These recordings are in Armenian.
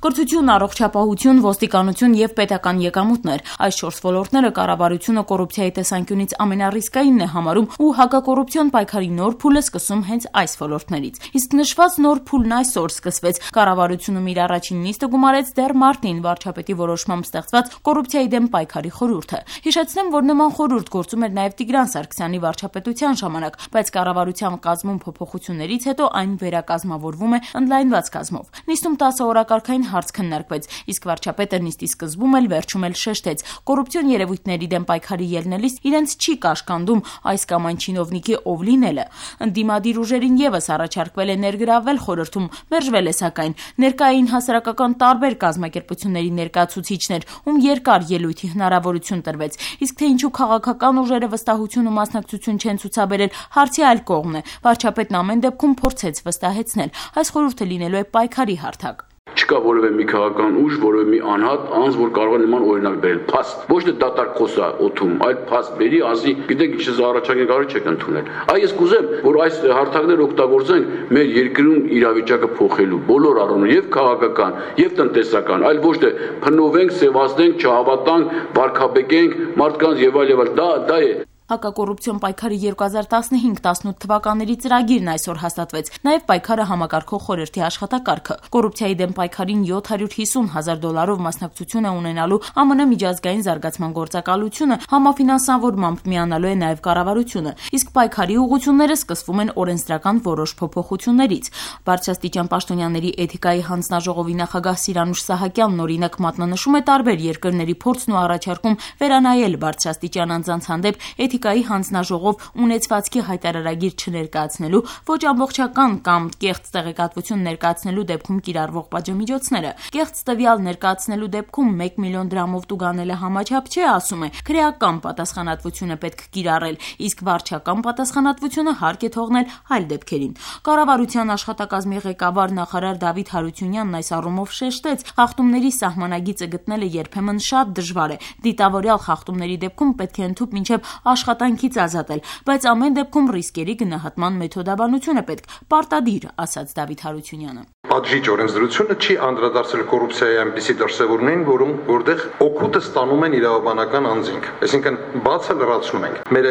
Կրթություն, առողջապահություն, ոստիկանություն եւ պետական եկամուտներ։ Այս 4 ոլորտները կառավարությունը կոռուպցիայի տեսանկյունից ամենառիսկայինն է համարում ու հակակոռուպցիոն պայքարի նոր փուլը սկսում հենց այս ոլորտներից։ Իսկ նշված նոր փուլն այսօր սկսվեց։ Կառավարությունում իր առաջին նիստը գումարեց դեռ մարտին վարչապետի որոշմամբ ստեղծված կոռուպցիայի դեմ պայքարի խորհուրդը։ Հիշեցնեմ, որ նման խորհուրդ գործում էր նաեւ Տիգրան Սարգսյանի վարչապետության ժամանակ, բայց կառավարության կազմում փոփոխություններից հետո այն վերակազմավորվում է ընդլայնված կազմով։ Նիստում 10 օրակարգային հարց քննարկվեց, իսկ վարչապետը նիստի սկզբում էլ վերջում էլ շեշտեց. կոռուպցիոն երևույթների դեմ պայքարի ելնելիս իրենց չի կաշկանդում այս կամ այն չինովնիկի ով լինելը։ Ընդդիմադիր ուժերին եւս առաջարկվել է ներգրավվել խորհրդում, մերժվել է սակայն։ Ներկա էին հասարակական տարբեր կազմակերպությունների ներկայացուցիչներ, ում երկար ելույթի հնարավորություն տրվեց, իսկ թե ինչու քաղաքական ուժերը վստահություն ու մասնակցություն չեն ցուցաբերել, հարցի այլ կողմն է։ Վարչապետն ամեն դեպքում փորձեց վստահեցնել, այս խորհուրդը լինելու է պայքարի հարթակ։ Չկա որևէ մի քաղաքական ուժ, որևէ մի անհատ անձ, որ կարող է նման օրինակ բերել։ Փաստ, ոչ թե դատարկ խոսա օթում, այլ փաստ բերի, ասի, գիտեք, ինչ առաջարկել կարող չեք ընդունել։ Այ ես կուզեմ, որ այս հարթակները օգտագործենք մեր երկրում իրավիճակը փոխելու բոլոր առումներով, եւ քաղաքական, եւ տնտեսական, այլ ոչ թե փնովենք, սևացնենք, չհավատանք, վարկաբեկենք մարդկանց եւ այլ եւ այլ։ Դա է։ Հակակոռուպցիոն պայքարի 2015-18 թվականների ծրագիրն այսօր հաստատվեց, նաև պայքարը համակարգող խորհրդի աշխատակարգը։ Կոռուպցիայի դեմ պայքարին $750,000 մասնակցություն է ունենալու ԱՄՆ միջազգային զարգացման գործակալությունը, համաֆինանսավորմամբ միանալու է նաև կառավարությունը, իսկ պայքարի ուղղությունները սկսվում են օրենսդրական որոշ փոփոխություններից։ Բարձրաստիճան պաշտոնյաների էթիկայի հանձնաժողովի նախագահ Սիրանուշ Սահակյանն օրինակ մատնանշում է տարբեր երկրների փորձն ու առաջարկում վերանայել բարձրաստիճան անձանց հանդեպ էթիկայի հանձնաժողով ունեցվածքի հայտարարագիր չներկայացնելու, ոչ ամբողջական կամ կեղծ տեղեկատվություն ներկայացնելու դեպքում կիրառվող պատժամիջոցները։ Կեղծ տվյալ ներկայացնելու դեպքում 1 միլիոն դրամով տուգանելը համաչափ չէ, ասում է, քրեական պատասխանատվություն է պետք կիրառել, իսկ վարչական պատասխանատվությունը հարկ է թողնել այլ դեպքերին։ Կառավարության աշխատակազմի ղեկավար նախարար Դավիթ Հարությունյանն այս առումով շեշտեց, խախտումների սահմանագիծը գտնելը երբեմն շատ դժվար է։ Դիտավորյալ խախտումների դեպքում պետք է ընդհուպ մինչև աշխատանքից ազատել, բայց ամեն դեպքում ռիսկերի գնահատման մեթոդաբանություն է պետք, պարտադիր, ասաց Դավիթ Հարությունյանը։ Պատժիչ օրենսդրությունը չի անդրադարձել կոռուպցիայի այնպիսի դրսևորումներին, որտեղ օգուտը ստանում են իրավաբանական անձինք, այսինքն բացը լրացնում ենք։ Մեր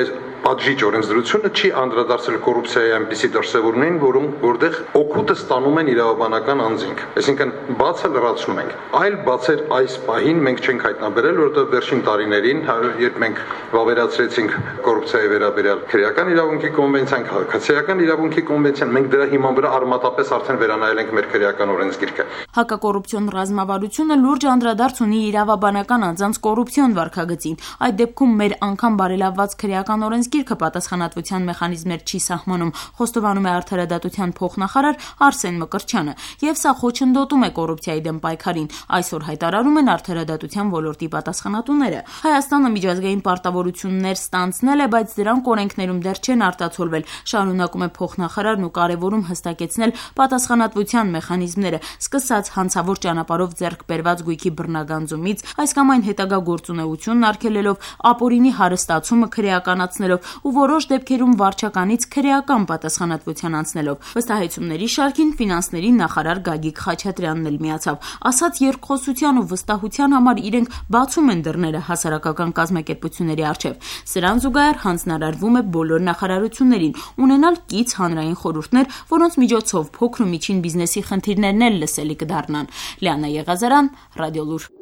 պատժիչ օրենսդրությունը չի անդրադարձել կոռուպցիայի այնպիսի դրսևորումներին, որտեղ օգուտը ստանում են իրավաբանական անձինք, այսինքն բացը լրացնում ենք։ Այլ բացեր այս պահին մենք չենք հայտնաբերել, որովհետև վերջին տարիներին, երբ մենք վավերացրեցինք կոռուպցիայի վերաբերյալ քրեական իրավունքի կոնվենցիան, քաղաքացիական իրավունքի կոնվենցիան, մենք դրա հիման վրա արմատապես արդեն վերանայել ենք մեր քրեական օրենսգիրքը։ Հակակոռուպցիոն ռազմավարությունը լուրջ անդրադարձ ունի իրավաբանական անձանց կոռուպցիոն վարքագծին։ Այդ դեպքում մեր անգամ բարելավված քրեական օրենսգիրքը պատասխանատվության մեխանիզմներ չի սահմանում, խոստովանում է Արդարադատության փոխնախարար Արսեն Մկրտչյանը, եւ սա խոչընդոտում է կոռուպցիայի դեմ պայքարին, այսօր հայտարարում են արդարադատության ոլորտի պատասխանատուները։ Հայաստանը միջազգային պարտավորություններ ստանձնել է, բայց դրանք օրենքներում դեռ չեն արտացոլվել, շարունակում է փոխնախարարն ու կարևորում հստակեցնել պատասխանատվության մեխանիզմները, սկսած հանցավոր ճանապարհով ձեռք բերված գույքի բռնագանձումից, այս կամ այն հետագա գործունեությունն արգելելով, ապօրինի հարստացումը քրեականացնելով ու որոշ դեպքերում վարչականից քրեական պատասխանատվության անցնելով։ Վստահեցումների շարքին ֆինանսների նախարար Գագիկ Խաչատրյանն էլ միացավ, ասաց երկխոսության ու վստահության համար իրենք բացում են դռները հասարակական կազմակերպությունների առջև։ Սրան զուգահեռ հանձնարարվում է բոլոր նախարարություններին ունենալ կից հանրային խորհուրդներ, որոնց միջոցով փոքր ու միջին բիզնեսի խնդիրներն էլ լսելի կդառնան։ Լիանա Եղազարյան, Ռադիոլուր։